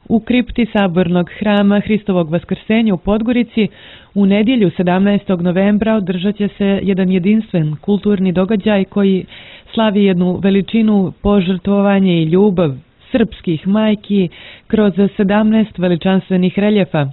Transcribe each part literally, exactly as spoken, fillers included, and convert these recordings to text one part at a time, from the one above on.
U kripti Sabornog hrama Hristovog Vaskrsenja u Podgorici u nedjelju sedamnaestog novembra održat će se jedan jedinstven kulturni događaj koji slavi jednu veličinu, požrtvovanje i ljubav srpskih majki kroz sedamnaest veličanstvenih reljefa.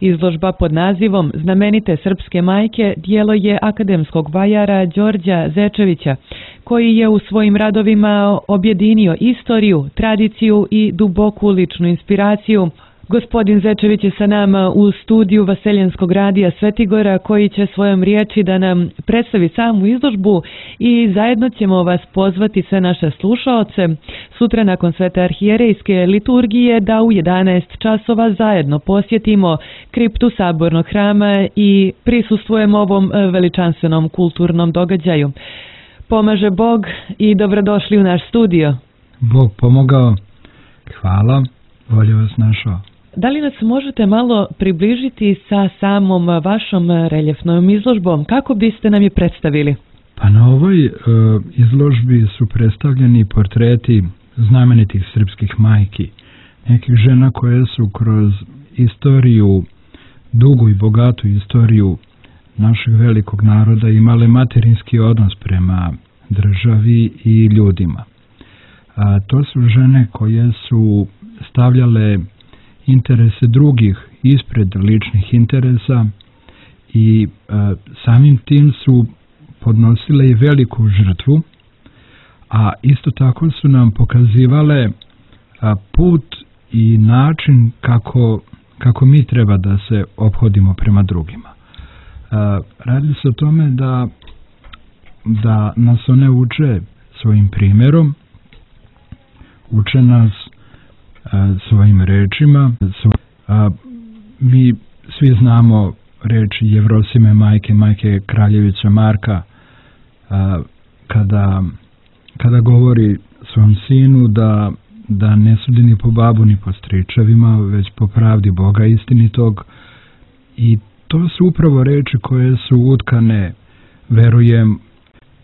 Izložba pod nazivom Znamenite srpske majke djelo je akademskog vajara Đorđa Zečevića, koji je u svojim radovima objedinio istoriju, tradiciju i duboku ličnu inspiraciju. Gospodin Zečević je sa nama u studiju Vaseljenskog radija Svetigora, koji će svojom riječi da nam predstavi samu izložbu i zajedno ćemo vas pozvati sve naše slušaoce sutra nakon Svete arhijerejske liturgije da u jedanaest časova zajedno posjetimo kriptu Sabornog hrama i prisustvujemo ovom veličanstvenom kulturnom događaju. Pomaže Bog i dobrodošli u naš studio. Bog pomogao. Hvala. Bolje vas našao. Da li nas možete malo približiti sa samom vašom reljefnom izložbom? Kako biste nam je predstavili? Pa na ovoj e, izložbi su predstavljeni portreti znamenitih srpskih majki, nekih žena koje su kroz istoriju, dugu i bogatu istoriju našeg velikog naroda imale materinski odnos prema državi i ljudima. A, to su žene koje su stavljale interese drugih ispred ličnih interesa i a, samim tim su podnosile i veliku žrtvu, a isto tako su nam pokazivale a, put i način kako, kako mi treba da se ophodimo prema drugima. A, radi se o tome da, da nas one uče svojim primjerom, uče nas a, svojim rečima. Svo, a, mi svi znamo reči Jevrosime majke, majke Kraljevića Marka, a, kada, kada govori svom sinu da, da ne sudi ni po babu ni po stričevima, već po pravdi Boga istinitog. I to su upravo reči koje su utkane, verujem,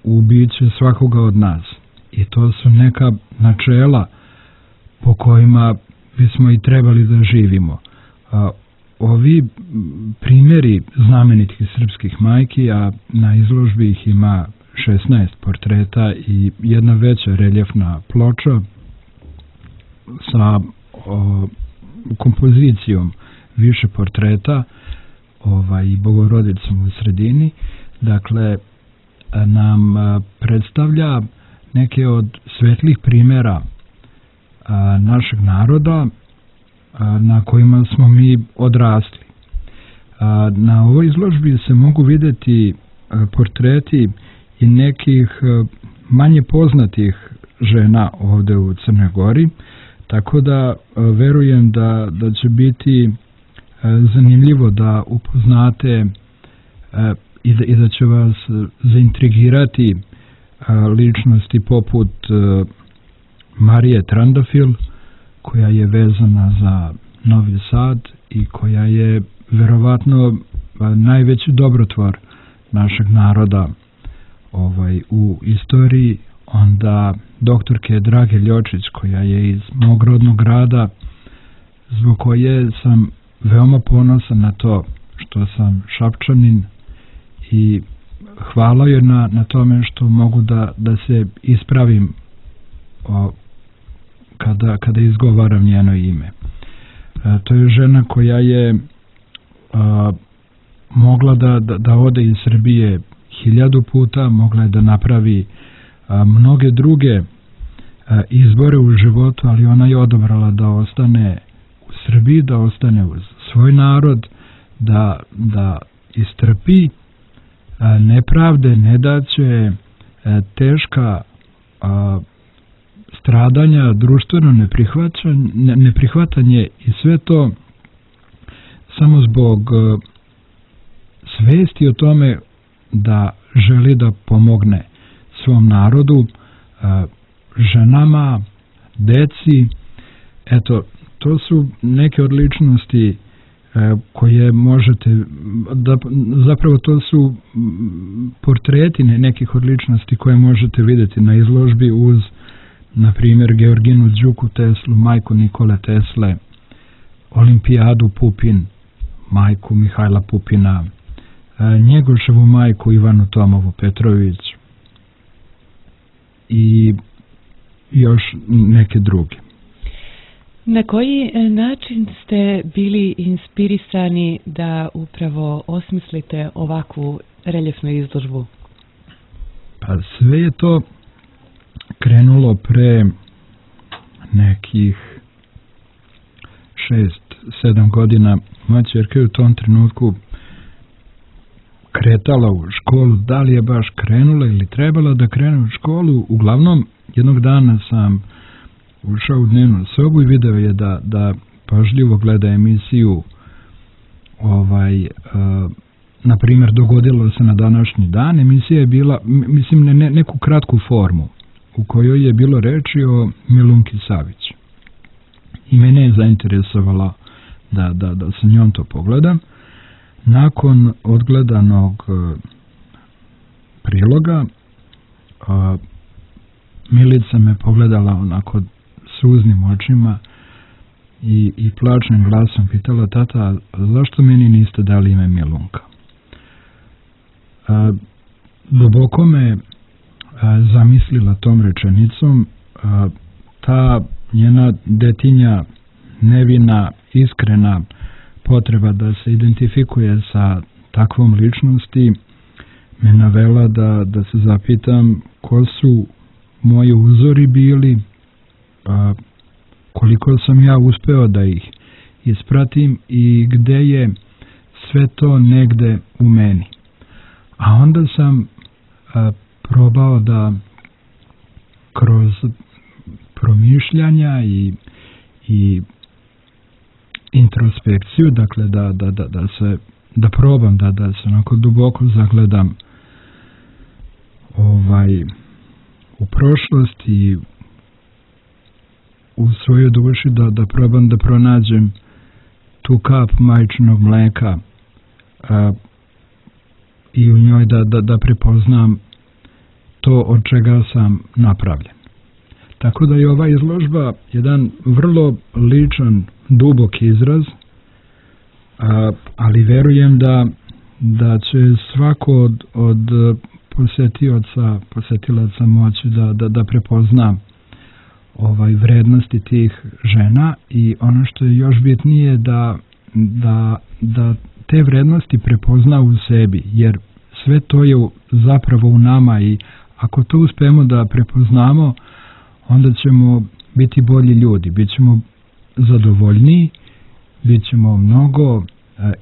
u biće svakoga od nas. I to su neka načela po kojima bismo i trebali da živimo. A, ovi primjeri znamenitih srpskih majki, a na izložbi ih ima šesnaest portreta i jedna veća reljefna ploča sa o, kompozicijom više portreta ovaj, i Bogorodicom u sredini, dakle, nam predstavlja neke od svetlih primjera a, našeg naroda a, na kojima smo mi odrasli. A, na ovoj izložbi se mogu vidjeti a, portreti i nekih a, manje poznatih žena ovdje u Crnoj Gori, tako da a, verujem da, da će biti a, zanimljivo da upoznate a, i, da, i da će vas zaintrigirati a, ličnosti poput a, Marije Trandafil, koja je vezana za Novi Sad i koja je verovatno najveći dobrotvor našeg naroda ovaj, u istoriji. Onda doktorke Drage Ljočić, koja je iz mog rodnog grada, zbog koje sam veoma ponosan na to što sam Šapčanin i hvala joj na, na tome što mogu da, da se ispravim o, kada, kada izgovaram njeno ime. E, to je žena koja je a, mogla da, da, da ode iz Srbije hiljadu puta, mogla je da napravi a, mnoge druge a, izbore u životu, ali ona je odabrala da ostane u Srbiji, da ostane uz svoj narod, da, da istrpi a, nepravde, nedaće, a, teška a, stradanja, društveno neprihvatanje, neprihvatanje i sve to samo zbog svesti o tome da želi da pomogne svom narodu, ženama, deci. Eto, to su neke od ličnosti koje možete, da, zapravo to su portreti nekih od ličnosti koje možete vidjeti na izložbi uz, na primjer, Georginu Đuku Teslu, majku Nikole Tesle, Olimpijadu Pupin, majku Mihajla Pupina, Njegoševu majku Ivanu Tomovu Petrović i još neke druge. Na koji način ste bili inspirisani da upravo osmislite ovakvu reljefnu izložbu? Pa sve je to krenulo pre nekih šest, sedam godina. Moja ćerka je u tom trenutku kretala u školu, da li je baš krenula ili trebala da krene u školu. Uglavnom, jednog dana sam ušao u dnevnu sobu i video je da, da pažljivo gleda emisiju ovaj, uh, na primjer, dogodilo se na današnji dan. Emisija je bila, mislim, ne, ne, neku kratku formu u kojoj je bilo reči o Milunki Savić. I mene je zainteresovalo da, da, da sa njom to pogledam. Nakon odgledanog uh, priloga uh, Milica me pogledala onako suznim očima i, i plačnim glasom pitala: tata, zašto meni niste dali ime Milunka? A, duboko me a, zamislila tom rečenicom. A, ta njena detinja, nevina, iskrena potreba da se identifikuje sa takvom ličnosti me navela da, da se zapitam ko su moji uzori bili, a, koliko sam ja uspeo da ih ispratim i gde je sve to negde u meni. A onda sam a, probao da kroz promišljanja i, i introspekciju, dakle da, da, da, da se da probam da, da se onako duboko zagledam ovaj u prošlost i u svojoj duši da, da probam da pronađem tu kap majčinog mleka a, i u njoj da, da, da prepoznam to od čega sam napravljen. Tako da je ova izložba jedan vrlo ličan, dubok izraz, a, ali verujem da, da će svako od, od posetioca, posetilaca moći da, da, da prepozna ovaj vrednosti tih žena i ono što je još bitnije da, da, da te vrednosti prepozna u sebi, jer sve to je zapravo u nama i ako to uspemo da prepoznamo, onda ćemo biti bolji ljudi, bit ćemo zadovoljniji, bit ćemo mnogo uh,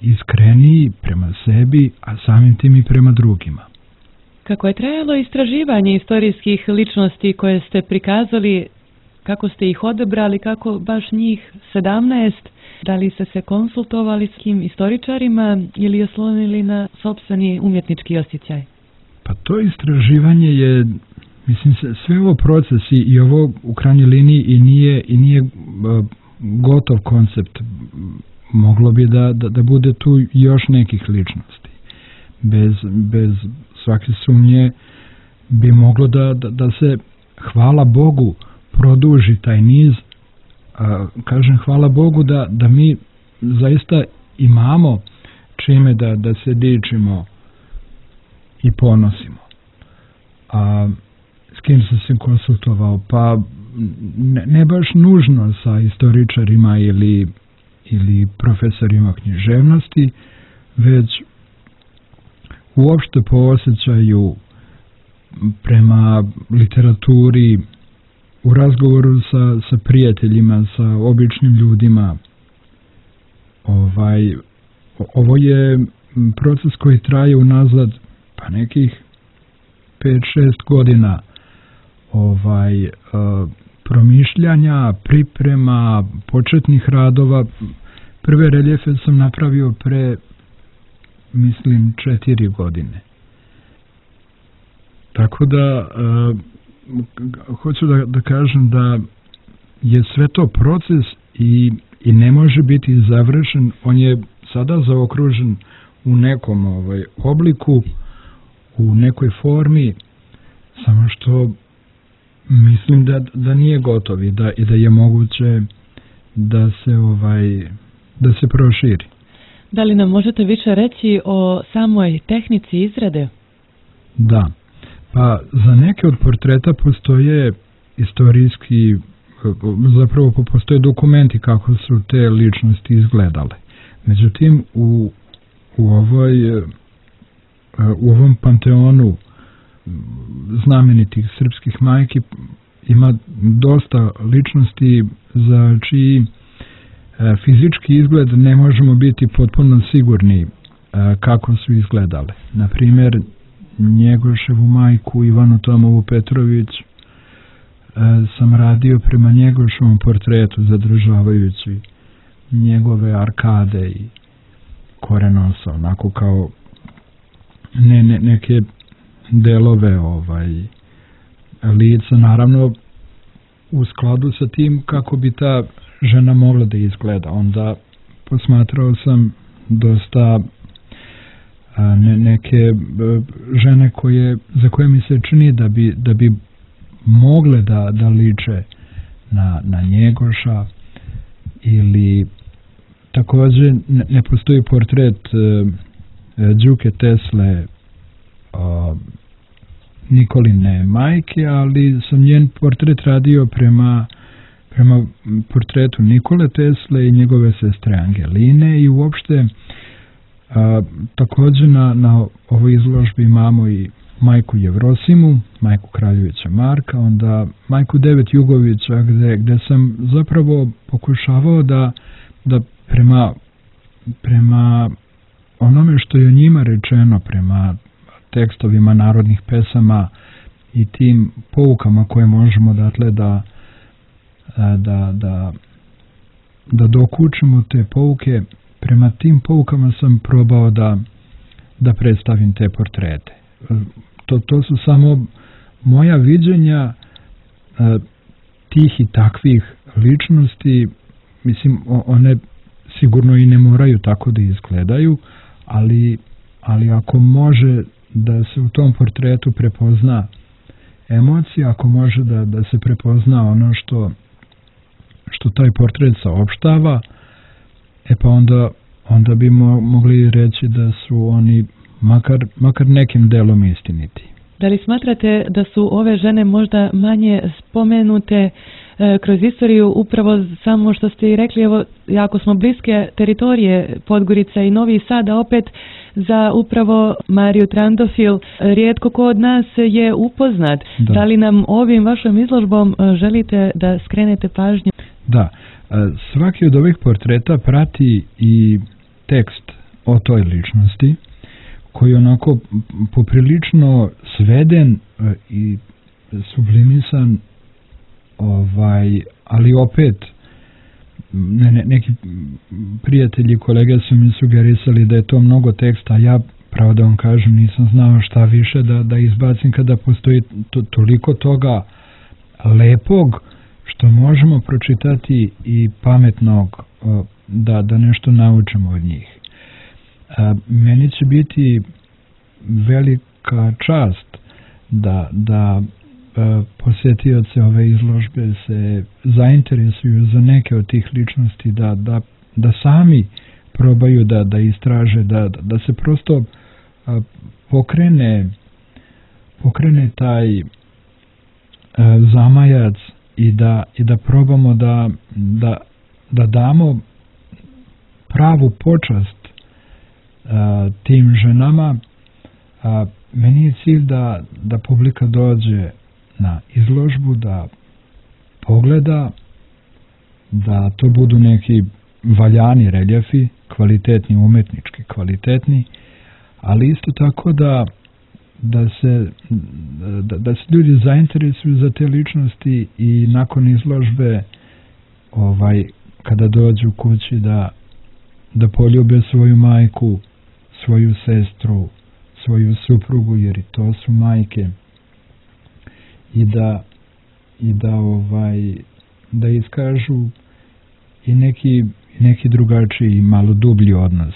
iskreniji prema sebi, a samim tim i prema drugima. Kako je trajalo istraživanje istorijskih ličnosti koje ste prikazali, kako ste ih odabrali, kako baš njih sedamnaest, da li ste se konsultovali s kim istoričarima ili oslonili na sopstveni umjetnički osjećaj? Pa to istraživanje je, mislim, sve ovo procesi i ovo u krajnjoj liniji i nije, i nije uh, gotov koncept. Moglo bi da, da, da bude tu još nekih ličnosti. Bez, bez svake sumnje bi moglo da, da, da se, hvala Bogu, produži taj niz. A, kažem hvala Bogu da, da mi zaista imamo čime da, da se dičimo i ponosimo. A s kim sam se konsultovao? Pa ne, ne baš nužno sa istoričarima ili, ili profesorima književnosti, već uopšte po osjećaju prema literaturi, u razgovoru sa, sa prijateljima, sa običnim ljudima. Ovaj, ovo je proces koji traje unazad pa nekih pet šest godina ovaj, uh, promišljanja, priprema, početnih radova. Prve reljefe sam napravio pre, mislim, četiri godine. Tako da uh, hoću da, da kažem da je sve to proces i, i ne može biti završen. On je sada zaokružen u nekom ovaj, obliku, u nekoj formi, samo što mislim da, da nije gotov i da, i da je moguće da se ovaj da se proširi. Da li nam možete više reći o samoj tehnici izrade? Da, pa za neke od portreta postoje istorijski, zapravo postoje dokumenti kako su te ličnosti izgledale. Međutim, u, u, ovoj, u ovom panteonu znamenitih srpskih majki ima dosta ličnosti za čiji fizički izgled ne možemo biti potpuno sigurni kako su izgledale. Na primjer, Njegoševu majku Ivanu Tomovu Petrović sam radio prema Njegoševom portretu, zadržavajući njegove arkade i korenosa, onako kao ne, ne, neke delove ovaj, lica, naravno u skladu sa tim kako bi ta žena mogla da izgleda. Onda posmatrao sam dosta a, ne, neke žene koje, za koje mi se čini da bi, da bi mogle da, da liče na, na Njegoša, ili također ne, ne postoji portret uh, Đuke Tesle, uh, Nikoline majke, ali sam njen portret radio prema, prema portretu Nikole Tesle i njegove sestre Angeline, i uopšte a, također na, na ovoj izložbi imamo i majku Jevrosimu, majku Kraljevića Marka, onda majku Devet Jugovića, gde, gde sam zapravo pokušavao da, da prema, prema onome što je o njima rečeno, prema tekstovima narodnih pesama i tim poukama koje možemo datle da da, da, da dokučimo te pouke, prema tim poukama sam probao da, da predstavim te portrete. To, to su samo moja viđenja tih i takvih ličnosti. Mislim, one sigurno i ne moraju tako da izgledaju, ali, ali ako može da se u tom portretu prepozna emocija, ako može da, da se prepozna ono što, što taj portret saopštava, e pa onda, onda bi mo, mogli reći da su oni makar, makar nekim delom istiniti. Da li smatrate da su ove žene možda manje spomenute e, kroz istoriju, upravo samo što ste i rekli, evo, jako smo bliske teritorije Podgorica i Novi Sad, a opet za upravo Mariju Trandofil rijetko ko od nas je upoznat. Da. Da li nam ovim vašom izložbom želite da skrenete pažnju? Da, svaki od ovih portreta prati i tekst o toj ličnosti, koji je onako poprilično sveden i sublimisan, ovaj, ali opet ne, ne, neki prijatelji, kolege su mi sugerisali da je to mnogo teksta, a ja, pravo da vam kažem, nisam znao šta više da, da izbacim kada postoji to, toliko toga lepog što možemo pročitati i pametnog, da, da nešto naučimo od njih. Meni će biti velika čast da, da posjetioce ove izložbe se zainteresuju za neke od tih ličnosti, da, da, da sami probaju da, da istraže, da, da se prosto pokrene, pokrene taj zamajac i da, i da probamo da, da, da damo pravu počast a, tim ženama. A, meni je cilj da, da publika dođe na izložbu, da pogleda, da to budu neki valjani reljefi, kvalitetni, umetnički kvalitetni, ali isto tako da, da, se, da, da se ljudi zainteresuju za te ličnosti i nakon izložbe, ovaj, kada dođu kući, da, da poljube svoju majku, svoju sestru, svoju suprugu, jer i to su majke, i da i da ovaj da iskažu i neki neki drugačiji, malo dublji odnos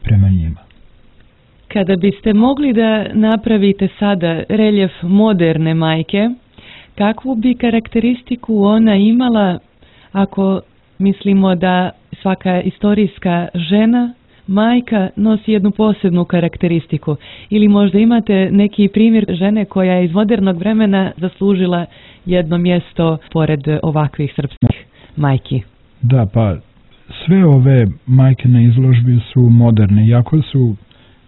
prema njima. Kada biste mogli da napravite sada reljef moderne majke, kakvu bi karakteristiku ona imala, ako mislimo da svaka istorijska žena, majka, nosi jednu posebnu karakteristiku. Ili možda imate neki primjer žene koja je iz modernog vremena zaslužila jedno mjesto pored ovakvih srpskih majki? Da, pa sve ove majke na izložbi su moderne, iako su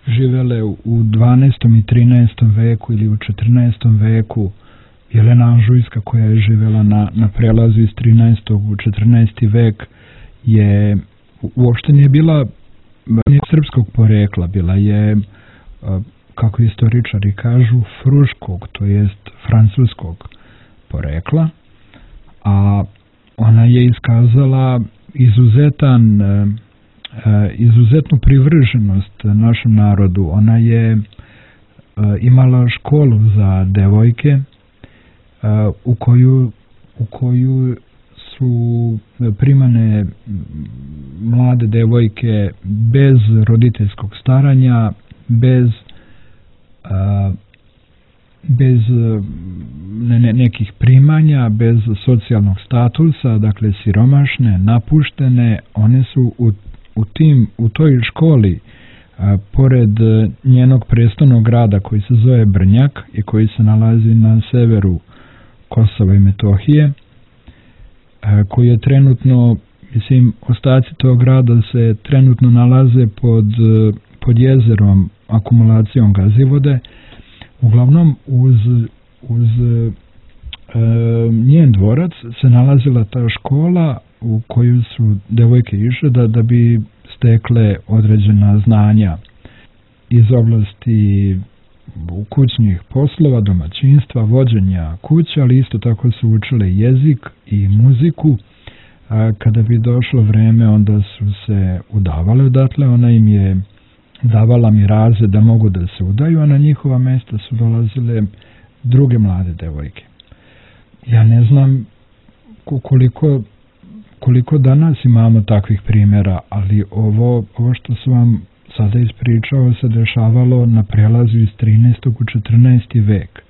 živele u dvanaestom i trinaestom veku ili u četrnaestom veku. Jelena Anžujska, koja je živela na, na prelazu iz trinaestog u četrnaesti vek, je uopšte nije bila nije srpskog porekla, bila je, kako istoričari kažu, fruškog, to jest francuskog porekla, a ona je iskazala izuzetan, izuzetnu privrženost našem narodu. Ona je imala školu za devojke u koju, u koju su primane mlade devojke bez roditeljskog staranja, bez bez ne, ne, nekih primanja, bez socijalnog statusa, dakle siromašne, napuštene. One su u, u, tim, u toj školi, a, pored njenog prestolnog grada koji se zove Brnjak i koji se nalazi na severu Kosova i Metohije, a, koji je trenutno, mislim, ostaci tog grada se trenutno nalaze pod, pod jezerom, akumulacijom gazivode. Uglavnom, uz, uz e, njen dvorac se nalazila ta škola u koju su devojke išle da, da bi stekle određena znanja iz oblasti kućnih poslova, domaćinstva, vođenja kuće, ali isto tako su učile jezik i muziku. A kada bi došlo vreme, onda su se udavale odatle, ona im je davala miraze da mogu da se udaju, a na njihova mesta su dolazile druge mlade devojke. Ja ne znam koliko, koliko danas imamo takvih primjera, ali ovo, ovo što sam vam sada ispričao se dešavalo na prelazu iz trinaestog u četrnaesti vek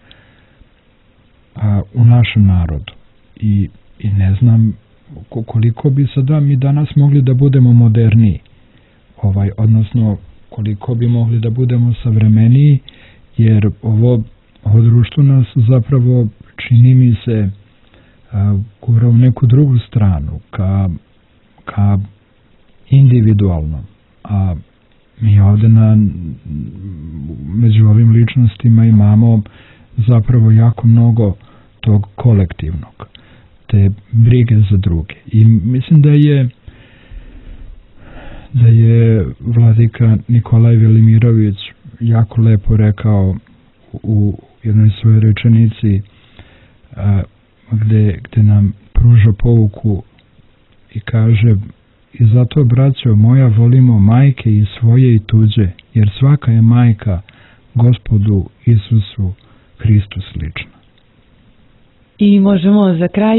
a, u našem narodu. I, i ne znam koliko bi sada mi danas mogli da budemo moderniji, ovaj, odnosno koliko bi mogli da budemo savremeniji, jer ovo, ovo društvo nas zapravo, čini mi se, gura u neku drugu stranu, ka, ka individualnom. A mi ovde na, među ovim ličnostima imamo zapravo jako mnogo tog kolektivnog, te brige za druge. I mislim da je da je vladika Nikolaj Velimirović jako lepo rekao u jednoj svojoj rečenici a, gde, gde nam pruža pouku i kaže: i zato, braćo moja, volimo majke i svoje i tuđe, jer svaka je majka Gospodu Isusu Hristu slična. I možemo za kraj,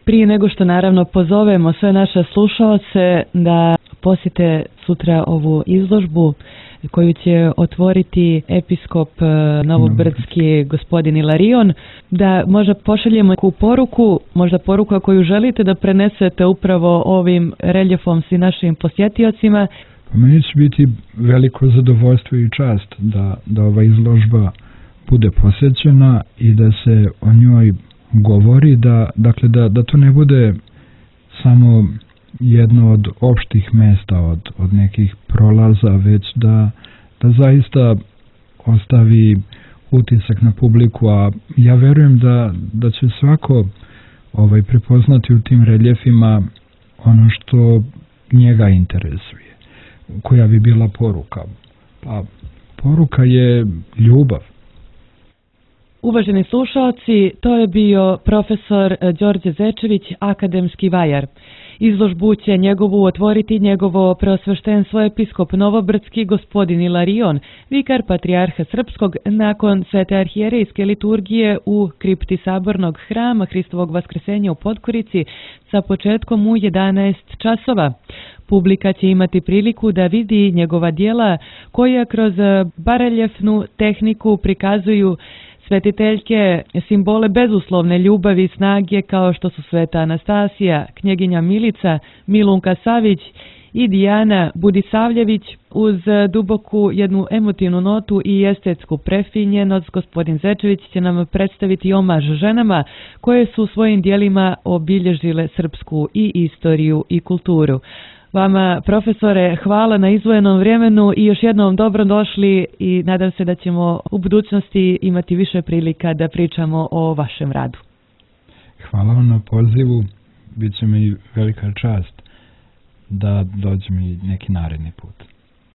prije nego što naravno pozovemo sve naše slušaoce da posjete sutra ovu izložbu koju će otvoriti episkop novobrdski gospodin Ilarion, da možda pošaljemo neku poruku, možda poruku koju želite da prenesete upravo ovim reljefom svim našim posjetiocima. Meni će biti veliko zadovoljstvo i čast da, da ova izložba bude posjećena i da se o njoj govori, da, dakle da, da to ne bude samo jedno od opštih mesta, od, od nekih prolaza, već da, da zaista ostavi utisak na publiku, a ja verujem da, da će svako ovaj, prepoznati u tim reljefima ono što njega interesuje. Koja bi bila poruka? Pa poruka je ljubav. Uvaženi slušalci, to je bio profesor Đorđe Zečević, akademski vajar. Izložbu će njegovu otvoriti njegovo preosveštenstvo episkop novobrdski gospodin Ilarion, vikar patrijarha srpskog, nakon svete arhijerejske liturgije u kripti sabornog hrama Hristovog Vaskrsenja u Podgorici sa početkom u jedanaest časova. Publika će imati priliku da vidi njegova djela koja kroz bareljefnu tehniku prikazuju svetiteljke simbole bezuslovne ljubavi i snage kao što su Sveta Anastasija, knjeginja Milica, Milunka Savić i Dijana Budisavljević. Uz duboku jednu emotivnu notu i estetsku prefinjenost, gospodin Zečević će nam predstaviti omaž ženama koje su svojim dijelima obilježile srpsku i istoriju i kulturu. Vama, profesore, hvala na izdvojenom vremenu i još jednom dobro došli i nadam se da ćemo u budućnosti imati više prilika da pričamo o vašem radu. Hvala vam na pozivu, bit će mi velika čast da dođem i neki naredni put.